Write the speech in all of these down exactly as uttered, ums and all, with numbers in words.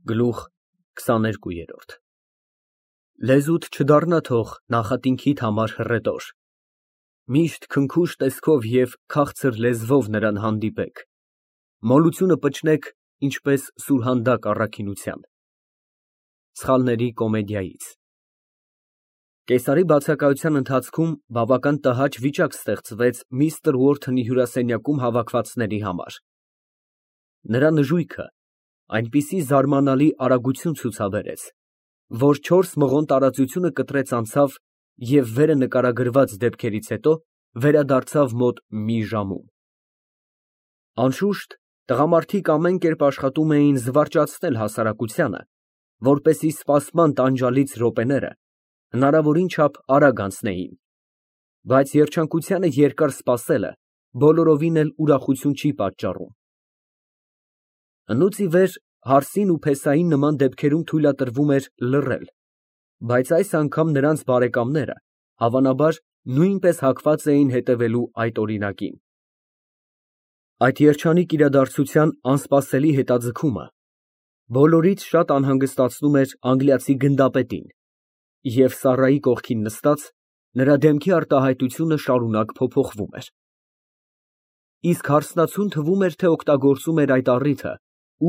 Գլուխ քսաներկու։ Լեզուդ չդառնա թող նախատինքիդ համար հռետոր, միշտ քնքուշ տեսքով և քաղցր լեզվով նրան հանդիպեք, մոլությունը պչնեք, ինչպես սուրհանդակ առաքինության։ Սխալների կոմեդիայից Կեսարի բացակայության ընթացքում բավական տհաճ վիճակ ստեղծվեց միստր Ուորթոնի հյուրասենյակում հավաքվածների համար։ Նրա նժույգը այնպիսի զարմանալի արագություն ցուցաբերեց, որ չորս մղոն տարածությունը կտրեց անցավ և վերը նկարագրված դեպքերից հետո վերադարձավ մոտ մի ժամում։ Անշուշտ, տղամարդիկ ամեն կերպ աշխատում էին զվարճացնել հասարակությանը, որպեսզի սպասման տանջալից րոպեները հնարավորին չափ արագ անցնեին, բայց երջանկությանը երկար սպասելը բոլորովին էլ ուրախություն չի պատճառում։ Հնուց ի վեր Հարսին ու Փեսային նման դեպքերում թույլատրվում էր լռել, բայց այս անգամ նրանց բարեկամները, հավանաբար, նույնպես հակված էին հետևելու այդ օրինակին։ Այդ երջանիկ իրադարձության անսպասելի հետաձգումը բոլորից շատ անհանգստացնում էր անգլիացի գնդապետին, և Սառայի կողքին նստած, նրա դեմքի արտահայտությունը շարունակ փոփոխվում էր։ Իսկ հարսնացուն թվում էր, թե օգտագործում էր այդ առիթը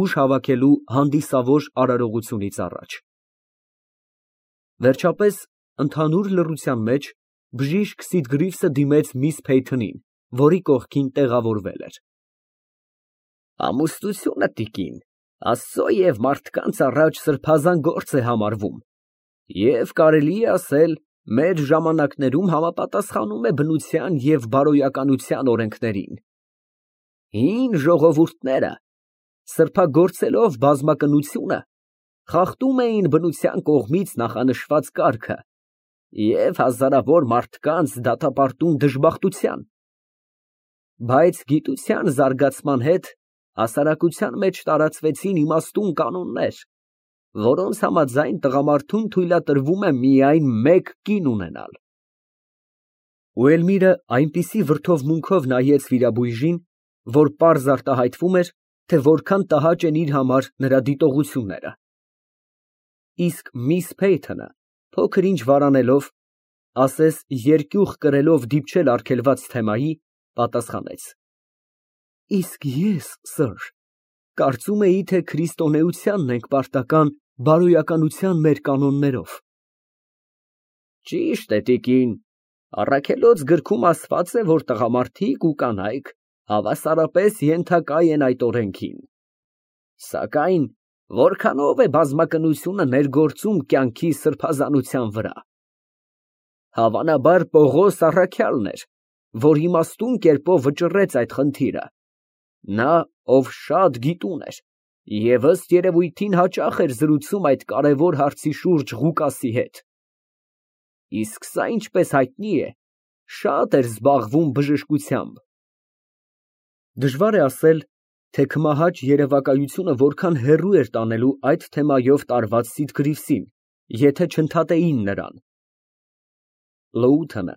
ուժ հավաքելու հանդիսավոր արարողությունից առաջ։ Վերջապես, ընդհանուր լռության մեջ բժիշկ Սիդգրիվսը դիմեց միս Փեյթոնին, որի կողքին տեղավորվել էր։ Ամուսնությունը, տիկին, Աստծո և մարդկանց առաջ սրբազան գործ է համարվում և, կարելի է ասել, մեր ժամանակներում համապատասխանում է բնության և բարոյականության օրենքներին։ Հին ժողովուրդները սրբագործելով բազմակնությունը խախտում էին բնության կողմից նախանշված կարգը և հազարավոր մարդկանց դատապարտում դժբախտության։ Բայց գիտության զարգացման հետ հասարակության մեջ տարածվեցին իմաստուն կանոններ, որոնց համաձայն տղամարդուն թույլատրվում է միայն մեկ կին ունենալ։ Ու Էլմիրը այնպիսի վրդովմունքով նայեց վիրաբույժին, որ պարզ արտահայտվում էր, թե որքան տհաճ են իր համար նրա դիտողությունները։ Իսկ միս Փեյթոնը, փոքր ինչ վարանելով, ասես երկյուղ կրելով դիպչել արգելված թեմայի, պատասխանեց. Իսկ ես, սըր, կարծում էի, թե քրիստոնեությանն ենք պարտական բարոյականության մեր կանոններով։ Ճիշտ է, տիկին, առաքելոց գրքում ասված է, որ տղամարդիկ ու կանայք հավասարապես ենթակա են այդ օրենքին։ Սակայն որքանով է բազմակնությունը ներգործում կյանքի սրբազանության վրա։ Հավանաբար Պողոս առաքյալն էր, որ իմաստուն կերպով վճռեց այդ խնդիրը, նա, ով շատ գիտուն էր և ըստ երևույթին հաճախ էր զրուցում այդ կարևոր հարցի շուրջ Ղուկասի հետ։ Իսկ սա, ինչպես հայտնի է, շատ էր զբաղվում բժշկությամբ։ Դժվար է ասել, թե քմահաճ երևակայությունը որքան հեռու էր տանելու այդ թեմայով տարված Սիդգրիվսին, եթե չընդհատեին նրան։ Լոութոնը,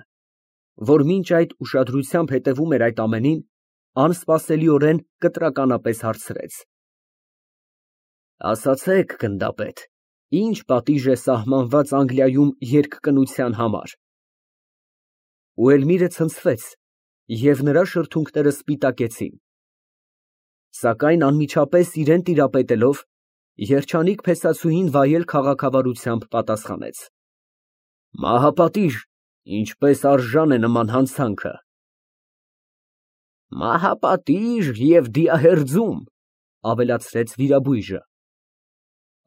որ մինչ այդ ուշադրությամբ հետևում էր այդ ամենին, անսպասելիորեն կտրականապես հարցրեց. Ասացեք, գնդապետ, ի՞նչ պատիժ է սահմանված Անգլիայում երկկնության համար։ Ու Էլմիրը ցնցվեց, և նրա շրթունքները սպիտակեցին։ Սակայն անմիջապես իրան տիրապետելով, երջանիկ փեսացուհին վայել քաղաքավարությամբ պատասխանեց. Մահապատիժ, ինչպես արժան է նման հանցանքը։ Մահապատիժ և դիահերձում, ավելացրեց վիրաբույժը։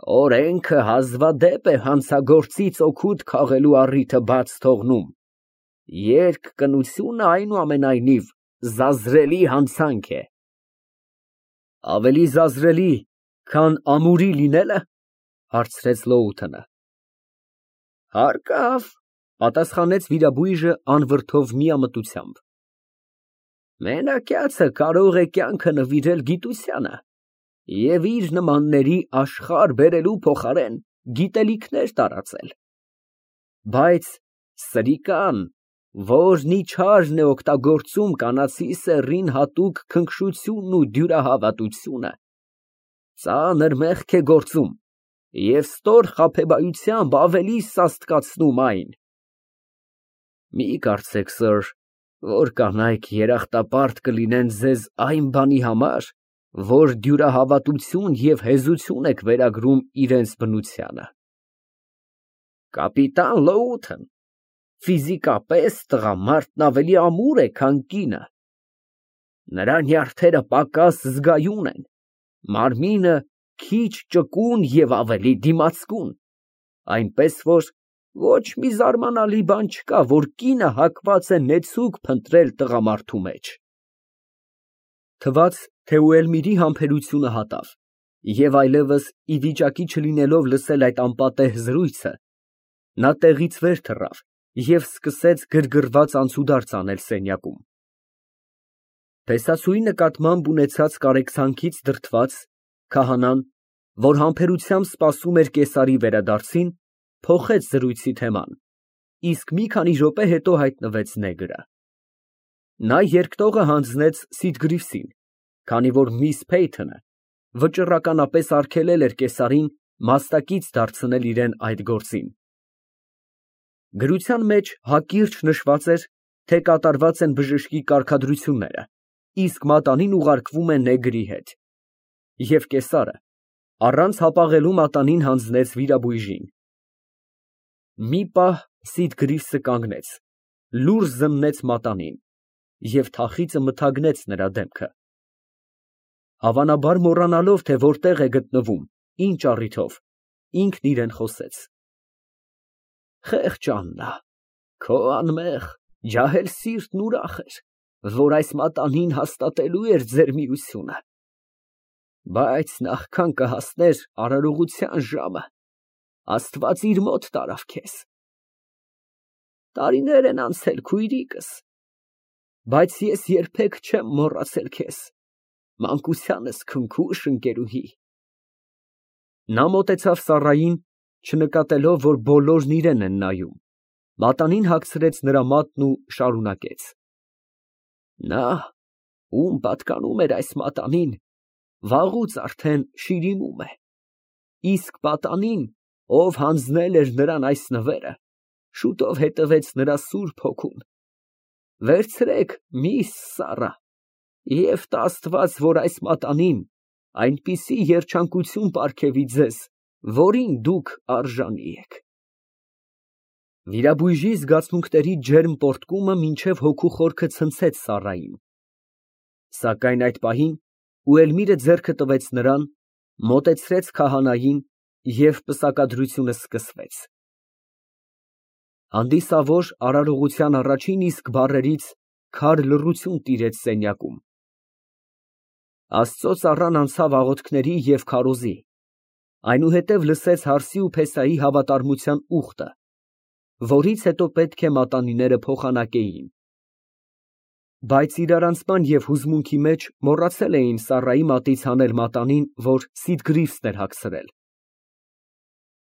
Օրենքը հազվադեպ է հանցագործից օգուտ քաղելու առիթը բաց թողնում, երկկնությունը, այնուամենայնիվ, զազրելի հանցանք է։ Ավելի զազրելի, քան ամուրի լինե՞լը, հարցրեց Լոութոնը։ Հարկավ, պատասխանեց վիրաբույժը անվրդով միամտությամբ։ Մենակյացը կարող է կյանքը նվիրել գիտությանը և իր նմանների աշխարհ բերելու փոխարեն գիտելիքներ տարածել։ Բայց սրիկան, որն իչարն է օգտագործում կանացի սեռին հատուկ քնքշությունն ու դյուրահավատությունը, ծանր մեղք է գործում և ստոր խաբեբայությամբ ավելի սաստկացնում այն։ Մի կարծեք, սըր, որ կանայք երախտապարտ կլինեն ձեզ այն բանի համար, որ դյուրահավատություն և հեզություն եք վերագրում իրենց բնությանը։ Կապիտան Լոութն ֆիզիկապես տղամարդն ավելի ամուր է, քան կինը։ Նրա նյարդերը պակաս զգայուն են, մարմինը քիչ ճկուն և ավելի դիմացկուն, այնպես որ ոչ մի զարմանալի բան չկա, որ կինը հակված է նեցուկ փնտրել տղամարդու մեջ։ Թվաց, թե Ուելմիրի համբերությունը հատավ, և այլևս ի վիճակի չլինելով լսել այդ անպատեհ զրույցը, նա տեղից վեր թռավ և սկսեց գրգռված անցուդարձ անել սենյակում։ Փեսացուի նկատմամբ ունեցած կարեկցանքից դրդված, քահանան, որ համբերությամբ սպասում էր կեսարի վերադարձին, փոխեց զրույցի թեման, իսկ մի քանի րոպե հետո հայտնվեց նեգրը։ Նա երկտողը հանձնեց Սիդգրիվսին, քանի որ միս Փեյթոնը վճռականապես արգելել էր կեսարին մասնակից դարձնել իրան այդ գործին։ Գրության մեջ հակիրճ նշված էր, թե կատարված են բժշկի կարգադրությունները, իսկ մատանին ուղարկվում է նեգրի հետ, և կեսարը առանց հապաղելու մատանին հանձնեց վիրաբույժին։ Մի պահ Սիդգրիվսը կանգնեց, լուռ զննեց մատանին և թախիծը մթագնեց նրա դեմքը։ Հավանաբար մոռանալով, թե որտեղ է գտնվում, ինչ առիթով, ինքն իրան խոսեց. Խեղճ Աննա, քո անմեղ, ջահել սիրտն ուրախ էր, որ այս մատանին հաստատելու էր ձեր միությունը, բայց նախքան կհասներ արարողության ժամը, Աստված իր մոտ տարավ քեզ։ Տարիներ են անցել, քույրիկս, բայց ես երբեք չեմ մոռացել քեզ, մանկությանս քնքուշ ընկերուհի։ Նա մոտեցավ Սառային, չնկատելով, որ բոլորն իրան են նայում, մատանին հագցրեց նրա մատն ու շարունակեց. Նա, ում պատկանում էր այս մատանին, վաղուց արդեն շիրիմում է, իսկ պատանին, ով հանձնել էր նրան այս նվերը, շուտով հետևեց նրա սուրբ հոգուն։ Վերցրեք, միս Սառա, և տա Աստված, որ այս մատանին այնպիսի երջանկություն պարգևի ձեզ, որին դուք արժանի եք։ Վիրաբույժի զգացմունքների ջերմ պոռթկումը մինչև հոգու խորքը ցնցեց Սառային, սակայն այդ պահին Ուելմիրը ձեռքը տվեց նրան, մոտեցրեց քահանային և պսակադրությունը սկսվեց։ Հանդիսավոր արարողության առաջին իսկ բառերից քար լռություն տիրեց սենյակում։ Աստծո ծառան անցավ աղոթքների և քարոզի, այնուհետև լսեց հարսի ու փեսայի հավատարմության ուխտը, որից հետո պետք է մատանիները փոխանակեին։ Բայց իրարանցման և հուզմունքի մեջ մոռացել էին Սառայի մատից հանել մատանին, որ Սիդգրիվսն էր հագցրել։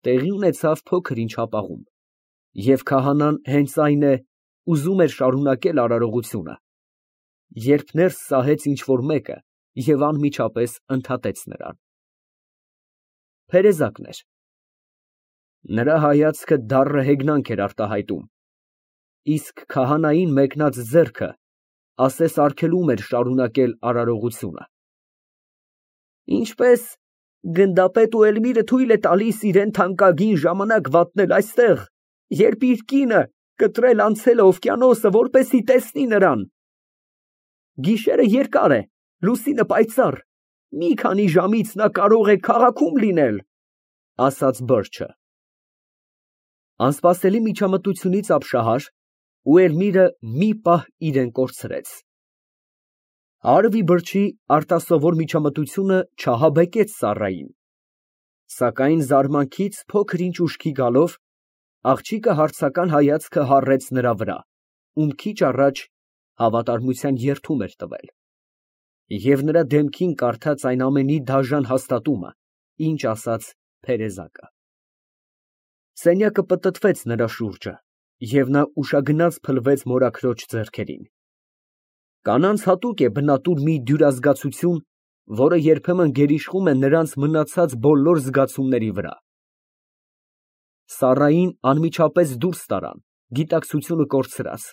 Տեղի ունեցավ փոքր-ինչ հապաղում, և քահանան հենց այն է, ուզում էր շարունակել արարողությունը, երբ ներս սահեց ինչ֊որ մեկը և անմիջապես ընդհատեց նրան։ Փերեզակն էր։ Նրա հայացքը դառը հեգնանք էր արտահայտում, իսկ քահանային մեկնած ձեռքը ասես արգելում էր շարունակել արարողությունը։ Ինչպես գնդապետ Ուելմիրը թույլ է տալիս իրան թանկագին ժամանակ վատնել այստեղ, երբ իր կինը կտրել անցել է օվկիանոսը, որպեսզի տեսնի նրան։ Գիշերը երկար է, լուսինը պայծառ, մի քանի ժամից նա կարող է քաղաքում լինել, ասաց Բըրչը։ Անսպասելի միջամտությունից ապշահար, Ուելմիրը մի պահ իրան կորցրեց։ Հարվի Բըրչի արտասովոր միջամտությունը չահաբեկեց Սառային, սակայն զարմանքից փոքր֊ինչ ուշքի գալով, աղջիկը հարցական հայացքը հառեց նրա վրա, ում քիչ առաջ հավատարմության երդում էր տվել, և նրա դեմքին կարդաց այն ամենի դաժան հաստատումը, ինչ ասաց փերեզակը։ Սենյակը պտտվեց նրա շուրջը, և նա ուշագնաց փլվեց մորաքրոջ ձեռքերին։ Կանանց հատուկ է բնատուր մի դյուրազգացություն, որը երբեմն գերիշխում է նրանց մնացած բոլոր զգացումների վրա։ Սառային անմիջապես դուրս տարան, գիտակցությունը կորցրած,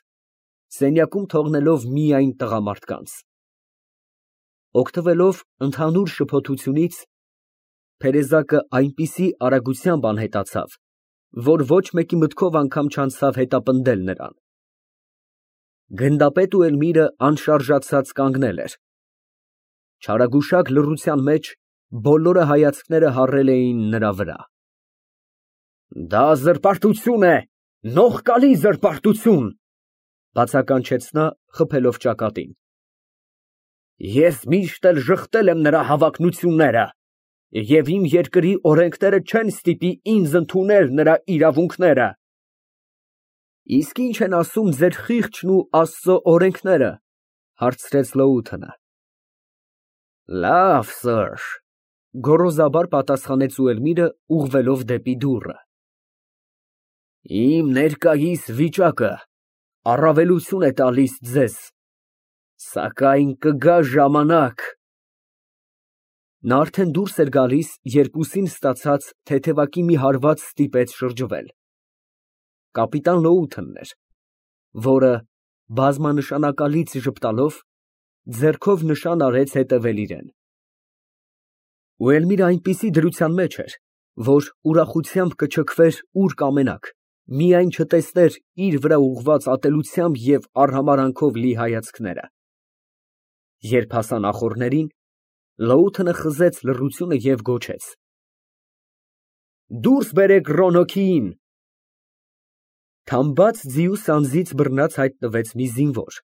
սենյակում թողնելով միայն տղամարդկանց։ Օգտվելով ընդհանուր շփոթությունից, Փերեզակը այնպիսի արագությամբ անհետացավ, որ ոչ մեկի մտքով անգամ չանցավ հետապնդել նրան։ Գնդապետն ու Էլմիրը անշարժացած կանգնել էր։ Չարագուշակ լռության մեջ բոլորը հայացքները հառել էին նրա վրա։ Դա զրպարտություն է, նողկալի զրպարտություն, բացականչեց նա, խփելով ճակատին։ Ես միշտ էլ ժխտել եմ նրա հավակնությունները, և իմ երկրի օրենքները չեն ստիպի ինձ ընդունել նրա իրավունքները։ Իսկ ի՞նչ են ասում ձեր խիղճն ու Աստծո օրենքները, հարցրեց Լոութենը։ Լավ, սըր, գոռոզաբար պատասխանեց Էլմիրը, ուղղվելով դեպի դուռը։ Իմ ներկայիս վիճակը առավելություն է տալիս ձեզ, սակայն կգա ժամանակ… Նա արդեն դուրս էր գալիս, երբ ուսին ստացած թեթևակի մի հարված ստիպեց շրջվել։ Կապիտան Լոութենն էր, որը, բազմանշանակալից ժպտալով, ձեռքով նշան արեց հետևել իրեն։ Ու Էլմիրը այնպիսի դրության մեջ էր, որ ուրախությամբ կչքվեր ուր կամենաք, միայն չտեսներ իր վրա ուղղված ատելությամբ և արհամարհանքով լի հայացքները։ Երբ հասան ախոռներին, Լոութենը խզեց լռությունը և գոչեց. Դուրս բերեք Ռոնոքիին։ Թամբած ձիու սանձից բռնած հայտնվեց մի զինվոր։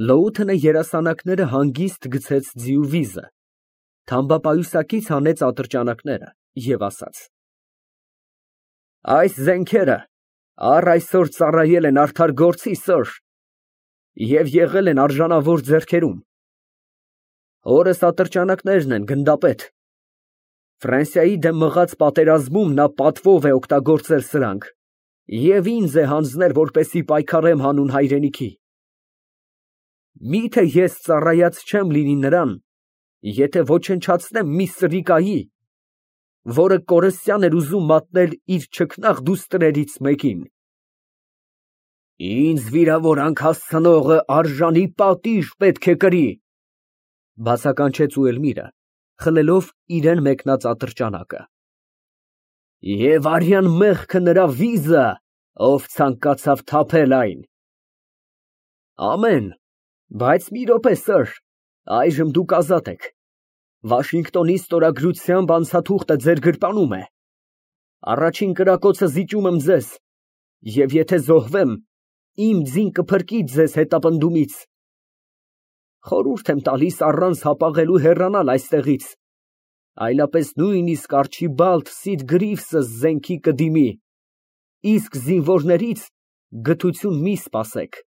Լոութենը երասանակները հանգիստ գցեց ձիու վիզը, թամբապայուսակից հանեց ատրճանակները և ասաց. Այս զենքերը առ այսօր ծառայել են արդար գործի, սըր, և եղել են արժանավոր ձեռքերում։ Հորս ատրճանակներն են, գնդապետ։ Ֆրանսիայի դեմ մղած պատերազմում նա պատվով է օգտագործել սրանք և ինձ է հանձնել, որպեսզի պայքարեմ հանուն հայրենիքի։ Մի՞թե ես ծառայած չեմ լինի նրան, եթե ոչնչացնեմ մի սրիկայի, որը կորստյան էր ուզում մատնել իր չքնաղ դուստրերից մեկին։ Ինձ վիրավորանք հասցնողը արժանի պատիժ պետք է կրի, բացականչեց Էլմիրը, խլելով իրան մեկնած ատրճանակը։ Եվ արյան մեղքը նրա վիզը, ով ցանկացավ թափել այն։ Ամեն, բայց մի րոպե, սըր, այժմ դուք ազատ եք։ Վաշինգտոնի ստորագրությամբ անցաթուղթը ձեր գրպանում է։ Առաջին կրակոցը զիջում եմ ձեզ, և եթե զոհվեմ, իմ ձին կփրկի ձեզ հետապնդումից։ Խորհուրդ եմ տալիս առանց հապաղելու հեռանալ այստեղից, այլապես նույնիսկ Արչիբալդ Սիդ Գրիվսը զենքի կդիմի, իսկ զինվորներից գթություն մի սպասեք։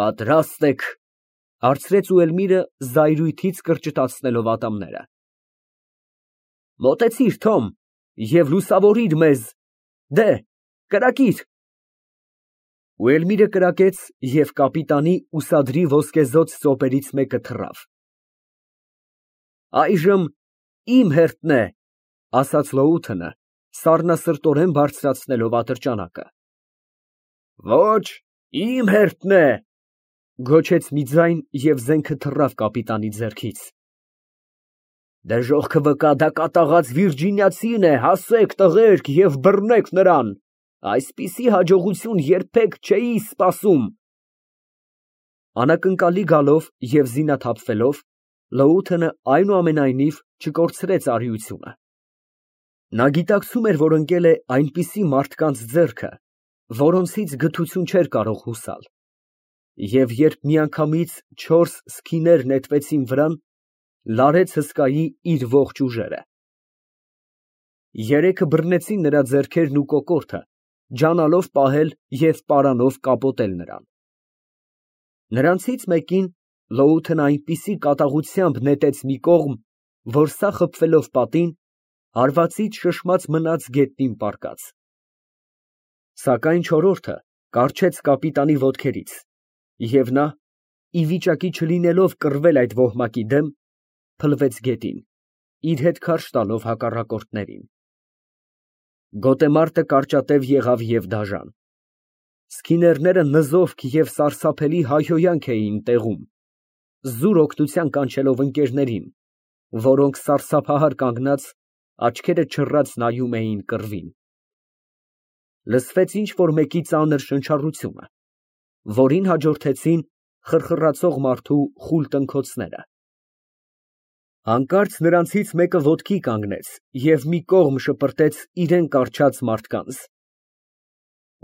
Պատրաստ եք, հարցրեց Էլմիրը, զայրույթից կրճտացնելով ատամները։ Մոտեցիր, Թոմ, և լուսավորիր մեզ, դե, կրակիր։ Էլմիրը կրակեց, և կապիտանի ուսադրի ոսկեզօծ ծոպերից մեկը թռավ։ Այժմ իմ հերթն է, ասաց Լոութենը, սառնասրտորեն բարձրացնելով ատրճանակը։ Ոչ, իմ հերթն է, գոչեց մի ձայն, և զենքը թռավ կապիտանի ձեռքից։ Դժոխքը վկա, դա կատաղած վիրջինիացին է, հասեք, տղերք, և բռնեք նրան, այսպիսի հաջողություն երբեք չէի սպասում։ Անակնկալի գալով և զինաթափվելով, Լոութենը այնուամենայնիվ չկորցրեց արիությունը։ Նա գիտակցում էր, որ ընկել է այնպիսի մարդկանց ձեռքը, որոնցից գթություն չէր կարող հուսալ, և երբ միանգամից չորս սքիներ նետվեցին վրան, լարեց հսկայի իր ողջ ուժերը։ Երեքը բռնեցին նրա ձեռքերն ու կոկորդը, ջանալով պահել և պարանով կապոտել նրան։ Նրանցից մեկին Լոութենը այնպիսի կատաղությամբ նետեց մի կողմ, որ սա խփվելով պատին, հարվածից շշմած մնաց գետնին պառկած։ Սակայն չորրորդը կառչեց կապիտանի ոտքերից, և նա, ի վիճակի չլինելով կռվել այդ ոհմակի դեմ, փլվեց գետին, իր հետ քարշ տալով հակառակորդներին։ Գոտեմարտը կարճատև եղավ և դաժան։ Սքիներները նզովք և սարսափելի հայհոյանք էին տեղում, զուր օգնության կանչելով ընկերներին, որոնք սարսափահար կանգնած, աչքերը չռած նայում էին կռվին։ Լսվեց ինչ֊որ մեկի ծանր շնչառությունը, որին հաջորդեցին խռխռացող մարդու խուլ տնքոցները։ Հանկարծ նրանցից մեկը ոտքի կանգնեց և մի կողմ շպրտեց իրան կառչած մարդկանց։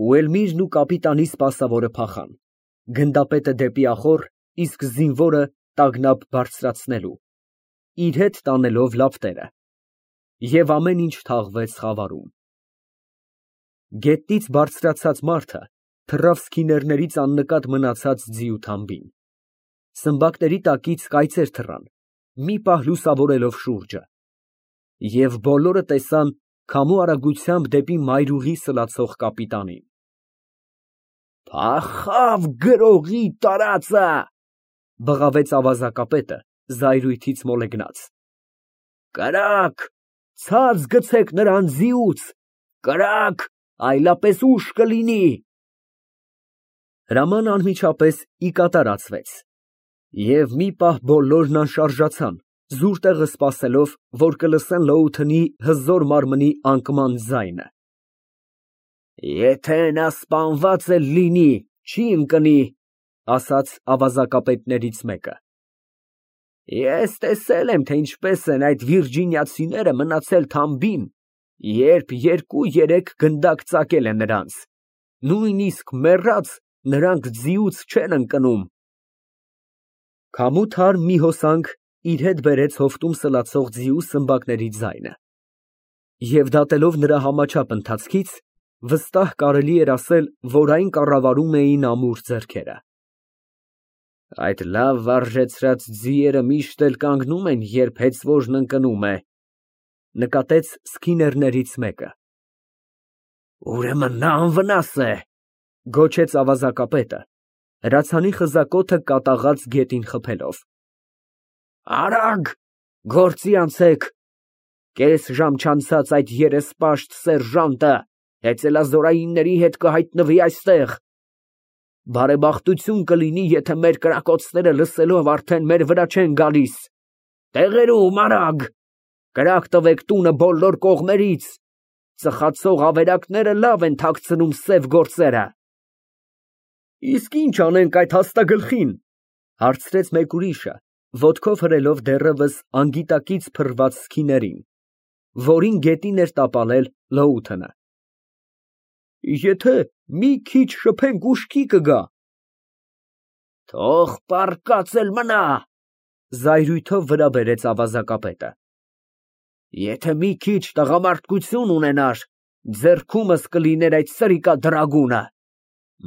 Ուելմիրն ու կապիտանի սպասավորը փախան, գնդապետը դեպի ախոռ, իսկ զինվորը տագնապ բարձրացնելու, իր հետ տանելով լապտերը, և ամեն ինչ թաղվեց խավարում։ Գետնից բարձրացած մարդը թռավ սքիներներից աննկատ մնացած ձիու թամբին։ Սմբակների տակից կայծեր թռան, մի պահ լուսավորելով շուրջը, և բոլորը տեսան քամու արագությամբ դեպի մայրուղի սլացող կապիտանին։ «Փախավ գրողի տարածը», ֊ բղավեց ավազակապետը զայրույթից մոլեգնած։ «Կրակ, ցած գցեք նրան ձիուց, կրակ, այլապես ուշ կլինի»։ Հրամանն անմիջապես ի կատարածվեց, և մի պահ բոլորն անշարժացան, զուր տեղը սպասելով, որ կլսեն լոութնի հզոր մարմնի անկման ձայնը։ «Եթե նա սպանված էլ լինի, չի ընկնի», ֊ ասաց ավազակապետներից մեկը։ «Ես տեսել եմ, թե ինչպես են այդ վիրջինիացիները մնացել թամբին, երբ երկու֊երեք գնդակ ծակել է նրանց, նույնիսկ մեռած, նրանք ձիուց չեն ընկնում»։ Քամու թարմ մի հոսանք իր հետ բերեց հովտում սլացող ձիու սմբակների ձայնը, և դատելով նրա համաչափ ընթացքից, վստահ կարելի էր ասել, որ այն կառավարում էին ամուր ձեռքերը։ «Այդ լավ վարժեցրած ձիերը միշտ էլ կանգնում են, երբ հեծվոժն ընկնում է», ֊ նկատեց սքիներներից մեկը։ «Ուրեմն նա անվնաս է», ֊ գոչեց ավազակապետը, հրացանի խզակոթը կատաղած գետին խփելով։ «Արագ, գործի անցեք, կես ժամ չանցած այդ երեսպաշտ սերժանտը հեծելազորայինների հետ կհայտնվի այստեղ։ Բարեբախտություն կլինի, եթե մեր կրակոցները լսելով արդեն մեր վրա չեն գալիս։ Տեղերում, արագ, կրակ տվեք տունը բոլոր կողմերից, ծխացող ավերակները լավ են թաքցնում սև գործերը»։ «Իսկ ի՞նչ անենք այդ հաստագլխին», ֊ հարցրեց մեկ ուրիշը, ոտքով հրելով դեռևս անգիտակից փռված սքիներին, որին գետին էր տապալել լոութը։ «Եթե մի քիչ շփենք, ուշքի կգա»։ «Թող պառկած էլ մնա», ֊ զայրույթով վրա բերեց ավազակապետը։ «Եթե մի քիչ տղամարդկություն ունենար, ձեռքումս կլիներ այդ սրիկադրագունը։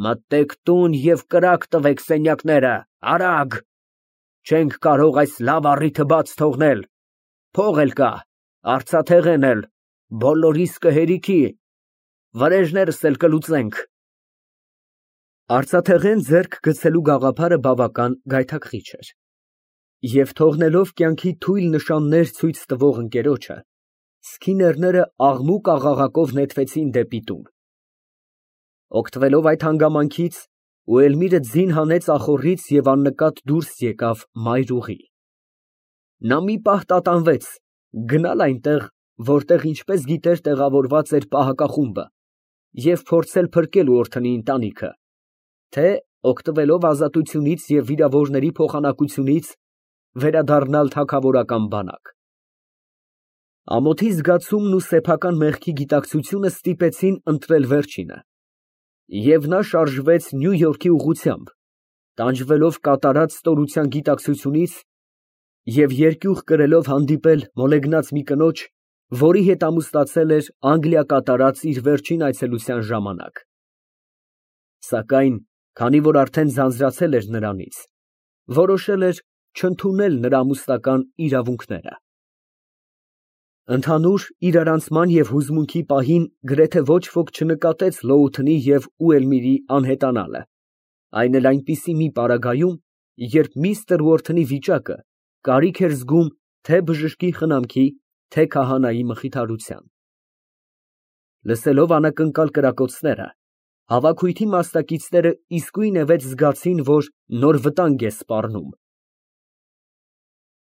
Մտեք տուն և կրակ տվեք սենյակները, արագ, չենք կարող այս լավ առիթը բաց թողնել, փող էլ կա, արծաթեղեն էլ, բոլորիս կհերիքի, վրեժներս էլ կլուծենք»։ Արծաթեղեն ձեռք գցելու գաղափարը բավական գայթակղիչ էր, և թողնելով կյանքի թույլ նշաններ ցույց տվող ընկերոջը, սքիներները աղմուկ֊աղաղակով նետվեցին դեպի տուն։ Օգտվելով այդ հանգամանքից, Ուելմիրը ձին հանեց ախոռից և աննկատ դուրս եկավ մայրուղի։ Նա մի պահ տատանվեց գնալ այնտեղ, որտեղ ինչպես գիտեր տեղավորված էր պահակախումբը, և փորձել փրկել Ուորթնի ընտանիքը, թե, օգտվելով ազատությունից և վիրավորների փոխանակությունից, վերադառնալ թագավորական բանակ։ Ամոթի զգացումն ու սեփական մեղքի գիտակցությունը ստիպեցին ընտրել վերջինը, և նա շարժվեց Նյու Յորքի ուղղությամբ, տանջվելով կատարած ստորության գիտակցությունից և երկյուղ կրելով հանդիպել մոլեգնած մի կնոջ, որի հետ ամուսնացել էր Անգլիա կատարած իր վերջին այցելության ժամանակ։ Սակայն քանի որ արդեն ձանձրացել էր նրանից, որոշել էր չընդունել նրա ամուսնական իրավունքները։ Ընդհանուր իրարանցման և հուզմունքի պահին գրեթե ոչ ոք չնկատեց Լոութնի և Ուելմիրի անհետանալը, այն էլ այնպիսի մի պարագայում, երբ միստր Ուորթնի վիճակը կարիք էր զգում թե բժշկի խնամքի, թե քահանայի մխիթարության։ Լսելով անակնկալ կրակոցները, հավաքույթի մասնակիցները իսկույնևեթ զգացին, որ նոր վտանգ է սպառնում։